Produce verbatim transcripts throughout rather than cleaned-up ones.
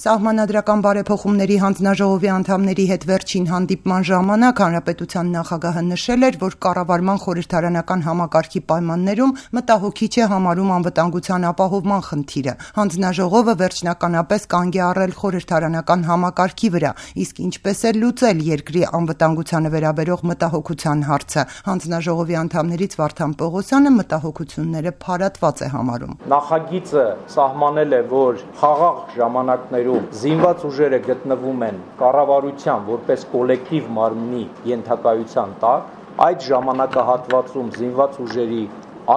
Սահմանադրական բարեփոխումների հանձնաժողովի անդամների հետ վերջին հանդիպման ժամանակ հանրապետության նախագահը նշել էր, որ կառավարման խորհրդարանական համակարգի պայմաններում մտահոգիչ է համարում անվտանգության ապահովման խնդիրը։ Հանձնաժողովը վերջնականապես կանգ է առել խորհրդարանական համակարգի վրա, իսկ ինչպես է լուծել երկրի անվտանգությանը վերաբերող մտահոգության հարցը։ Հանձնաժողովի անդամներից Վարդան Պողոսյանը մտահոգությունները փարատված է համարում։ Նախագիծը սահմանել է, որ խաղաղ ժամանակներում զինված ուժերը գտնվում են կառավարության որպես կոլեկտիվ մարմնի ենթակայության տակ, այդ ժամանակահատվածում զինված ուժերի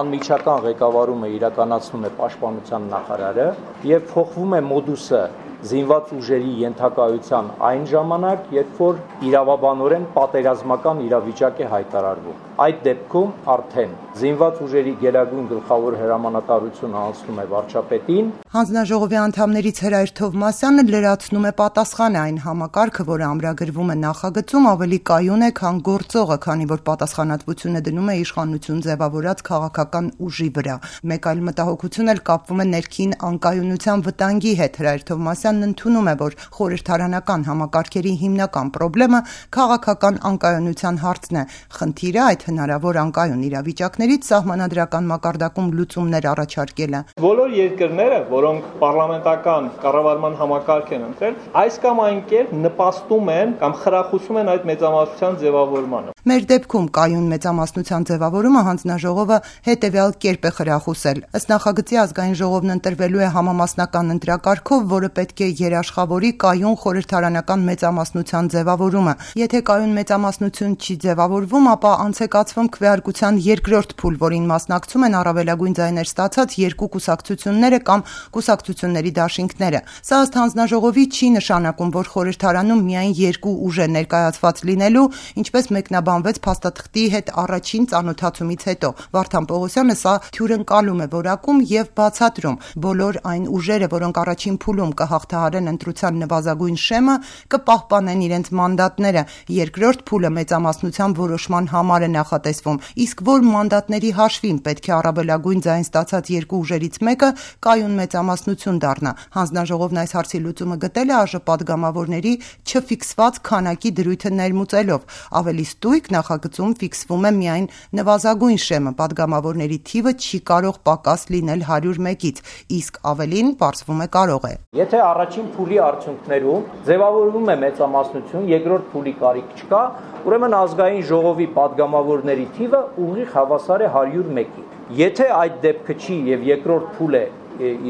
անմիջական ղեկավարումը իրականացնում է պաշտպանության նախարարը եւ փոխվում է մոդուսը զինված ուժերի ենթակայության այն ժամանակ, երբ որ իրավաբանորեն պատերազմական իրավիճակ է հայտարարվում։ Այդ դեպքում արդեն զինված ուժերի գերագույն գլխավոր հրամանատարությունը անցնում է վարչապետին։ Հանձնաժողովի անդամներից Հրայր Թովմասյանը լրացնում է պատասխանը այն համակարգը, որը ամրագրվում է նախագծում, ավելի կայուն է, քան գործողը, քանի որ պատասխանատվությունը դնում է իշխանություն ձևավորած քաղաքական ուժի վրա։ Մեկ այլ մտահոգություն էլ կապվում է ներքին անկայունության վտանգի հետ։ Հրայր Թովմասյանն ընդունում է, որ խորհրդարանական համակարգերի հիմնական խնդիրը քաղաքական անկայունության հարցն է։ Խնդիրը այդ հնարավոր անկայուն իրավիճակներից սահմանադրական մակարդակում լուծումներ առաջարկելը։ Բոլոր երկրները, որոնք պարլամենտական կառավարման համակարգ են ընտրել, այս կամ այն կերպ նպաստում են կամ խրախուսում են այդ մեծամասնության ձևավորմանը։ Մեր դեպքում կայուն մեծամասնության ձևավորումը հանձնաժողովը հետևյալ կերպ է խրախուսել։ Ըստ նախագծի ազգային ժողովն ընտրվելու է համամասնական ընտրակարգով, որը պետք է երաշխավորի կայուն խորհրդարանական մեծամասնության ձևավորումը։ Եթե կայուն մեծամասնություն չի ձևավորվում, ապա անցեկացվում քվեարկության երկրորդ փուլ, որին մասնակցում են առավելագույն ձայներ ստացած երկու կուսակցությունները կամ կուսակցությունների դաշինքները։ Սա ըստ հանձնաժողովի չի նշանակում, որ խորհրդարանում միայն երկու ուժ է ներկայացված լինելու, ինչպես մեկնաբանվեց փաստաթղթի հետ առաջին ծանոթացումից հետո։ Վարդան Պողոսյանը սա թյուրընկալում է որակում եւ բացատրում։ Բոլոր այն ուժերը, որոնք առաջին փուլում կհաղթահարեն ընտրության նվազագույն շեմը, կպահպանեն իրենց մանդատները։ Երկրորդ փուլը մեծամասնության որոշման համար է նախատեսվում, իսկ որ մանդատների հաշվին պետք է առավելագույն ձայն ստացած երկու ուժերից մեկը կայուն մեծամասնություն դառնա։ Հանձնաժողովն այս հարցի լուծումը գտել է ԱԺ պատգամավորների չֆիքսված քանակի դրույթը ներմուծելով։ Ավելի ստույգ նախագծում ֆիքսվում է միայն նվազագույն շեմը, պատգամավորների թիվը չի կարող պակաս լինել հարյուր մեկից, իսկ ավելին պարզվում է կարող է։ Եթե առաջին փուլի արդյունքներում ձևավորվում է մեծամասնություն, երկրորդ փուլի կարիք չկա, ուրեմն ազգային ժողովի պատգամավորների թիվը ուղիղ հավասար է հարյուր մեկի։ Եթե այդ դեպքը չի եւ երկրորդ փուլ է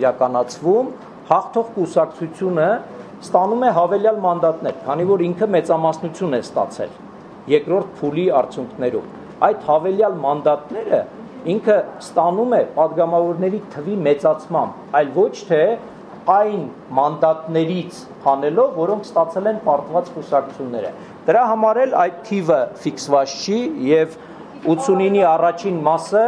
իրականացվում, հաղթող կուսակցությունը ստանում է հավելյալ մանդատներ, քանի որ ինքը մեծամասնություն է ստացել երկրորդ փուլի արդյունքներում։ Այդ հավելյալ մանդատները ինքը ստանում է պատգամավորների թվի մեծացմամբ, այլ ոչ թե այն մանդատներից հանելով, որոնք ստացել են պարտված կուսակցությունները։ Դրա համար էլ այդ թիվը ֆիքսված չի եւ ութսունինի առաջին մասը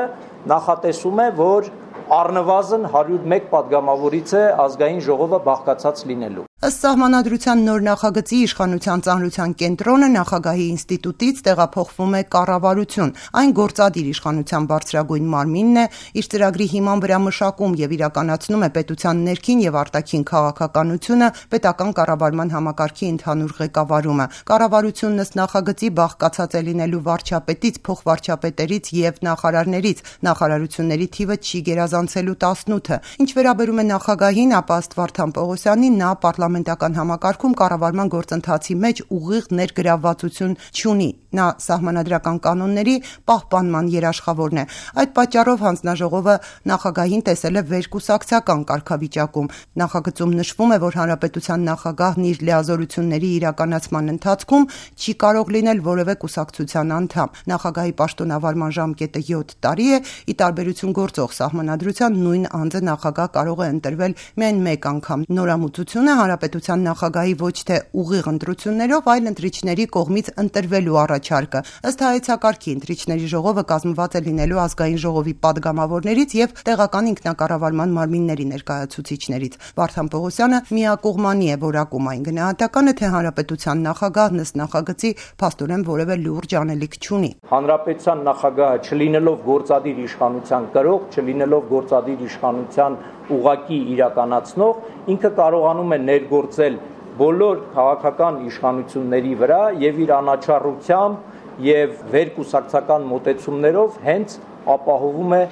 նախատեսում է, որ առնվազն հարյուր մեկ պատգամավորից է ազգային ժողովը բաղկացած լինելու։ Ըստ սահմանադրության նոր նախագծի իշխանության ծանրության կենտրոնը նախագահի ինստիտուտից տեղափոխվում է կառավարություն։ Այն գործադիր իշխանության բարձրագույն մարմինն է, իր ծրագրի հիման վրա մշակում եւ իրականացնում է պետության ներքին եւ արտաքին քաղաքականությունը, պետական կառավարման համակարգի ընդհանուր ղեկավարումը։ Կառավարությունն ըստ նախագծի բաղկացած է լինելու վարչապետից, փոխվարչապետերից եւ նախարարներից։ Նախարարությունների թիվը չի գերազանցելու տասնութը։ Ինչ վերաբերում է նախագահին, ապա ըստ Վարդան Պողոսյանի նա պարլամենտական համակարգում կառավարման գործընթացի մեջ ուղիղ ներգրավվածություն չունի։ Նա սահմանադրական կանոնների պահպանման երաշխավորն է։ Այդ պատճառով հանձնաժողովը նախագահին տեսել է վերկուսակցական կարգավիճակում։ Նախագծում նշվում է, որ հանրապետության նախագահն իր լիազորությունների իրականացման ընթացքում չի կարող լինել որևէ կուսակցության անդամ։ Նախագահի պաշտոնավարման ժամկետը յոթ տարի է, ի տարբերություն գործող սահմանադրության նույն անձը նախագահ կարող է ընտրվել միայն մեկ անգամ։ Նորամուծությունը հանրապետության նախագահի ոչ թե ուղիղ ընտրություններով, այլ ընտրիչների կողմից ընտրվելու առաջարկը։ Ըստ հայեցակարգի ընտրիչների ժողովը կազմված է լինելու ազգային ժողովի պատգամավորներից եւ տեղական ինքնակառավարման մարմինների ներկայացուցիչներից։ Վարդան Պողոսյանը միակողմանի է որակում այն գնահատականը, թե հանրապետության նախագահն ըստ նախագծի փաստորեն որևէ լուրջ անելիք չունի։ Հանրապետության նախագահը չլինելով գործադիր իշխանության կրող, չլինելով գործադիր իշխանության ուղղակի իրականացնող, ինքը կարողանում է ներգործել բոլոր քաղաքական իշխանությունների վրա եւ իր անաչառությամբ եւ վերկուսակցական մոտեցումներով հենց ապահովում է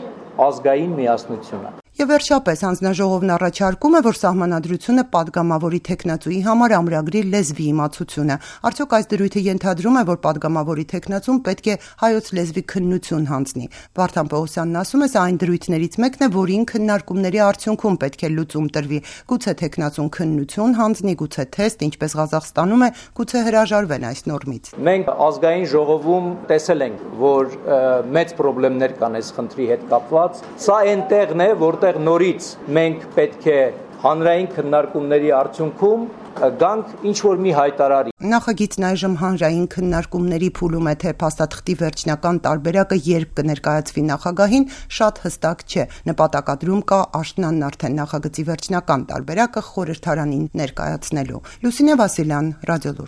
ազգային միասնությունը։ Եվ վերջապես հանձնաժողովն առաջարկում է, որ սահմանադրությունը պատգամավորի թեկնածուի համար ամրագրի լեզվի իմացությունը։ Արդյոք այս դրույթը ենթադրում է, որ պատգամավորի թեկնածուն պետք է հայոց լեզվի քննություն հանձնի։ Վարդան Պողոսյանն ասում է, սա այն դրույթներից մեկն է, որին քննարկումների արդյունքում պետք է լուծում տրվի։ Գուցե թեկնածուն քննություն հանձնի, գուցե թեստ, ինչպես Ղազախստանում է, գուցե հրաժարվեն այս նորմից։ Մենք ազգային ժողովում տեսել ենք, որ մեծ խնդիրներ կան այս խնդրի հետ կապված։ Սա այնտեղն է, որ նորից մենք պետք է հանրային քննարկումների արդյունքում գանք ինչ-որ մի հայտարարի։ Նախագիծն այժմ հանրային քննարկումների փուլում է, թե փաստաթղթի վերջնական տարբերակը երբ կներկայացվի նախագահին, շատ հստակ չէ։ Նպատակադրում կա աշնանն արդեն նախագծի վերջնական տարբերակը խորհրդարանին ներկայացնելու։ Լուսինե Վասիլյան, Ռադիոլուր։